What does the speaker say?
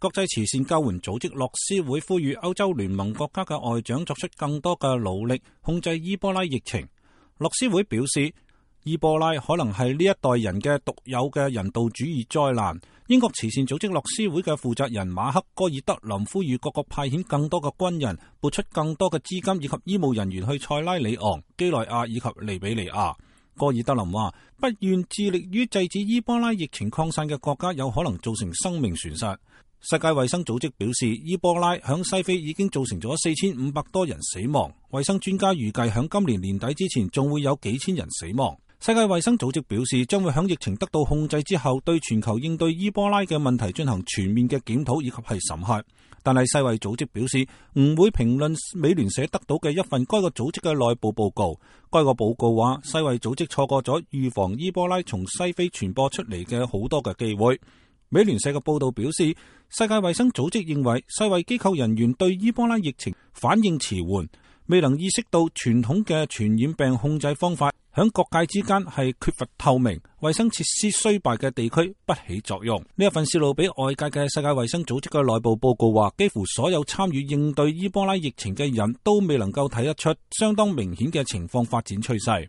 國際慈善救援組織樂施會呼籲歐洲聯盟國家嘅外長作出更多嘅努力控制伊波拉疫情。樂施會表示，伊波拉可能係呢一代人嘅獨有嘅人道主義災難。英國慈善組織樂施會嘅負責人馬克戈爾德林呼籲各國派遣更多嘅軍人，撥出更多嘅資金以及醫務人員去塞拉利昂、基內亞以及利比里亞。戈爾德林話，不願致力於制止伊波拉疫情擴散嘅國家有可能造成生命損失。世界衛生組織表示，伊波拉響西非已經造成咗4500多人死亡，衛生專家預計響今年年底之前仲會有幾千人死亡。世界衛生組織表示，將會響疫情得到控制之後，對全球應對伊波拉嘅問題進行全面嘅檢討以及係審核。但係世衛組織表示唔會評論美聯社得到嘅一份該個組織嘅內部報告。該個報告話，世衛組織錯過咗預防伊波拉從西非傳播出嚟嘅好多嘅機會。美聯社嘅報道表示，世界衛生組織認為世衛機構人員對伊波拉疫情反應遲緩，未能意識到傳統嘅傳染病控制方法響各界之間係缺乏透明，衛生設施衰敗嘅地區不起作用。呢一份泄露俾外界嘅世界衛生組織嘅內部報告話，幾乎所有參與應對伊波拉疫情嘅人都未能夠睇得出相當明顯嘅情況發展趨勢。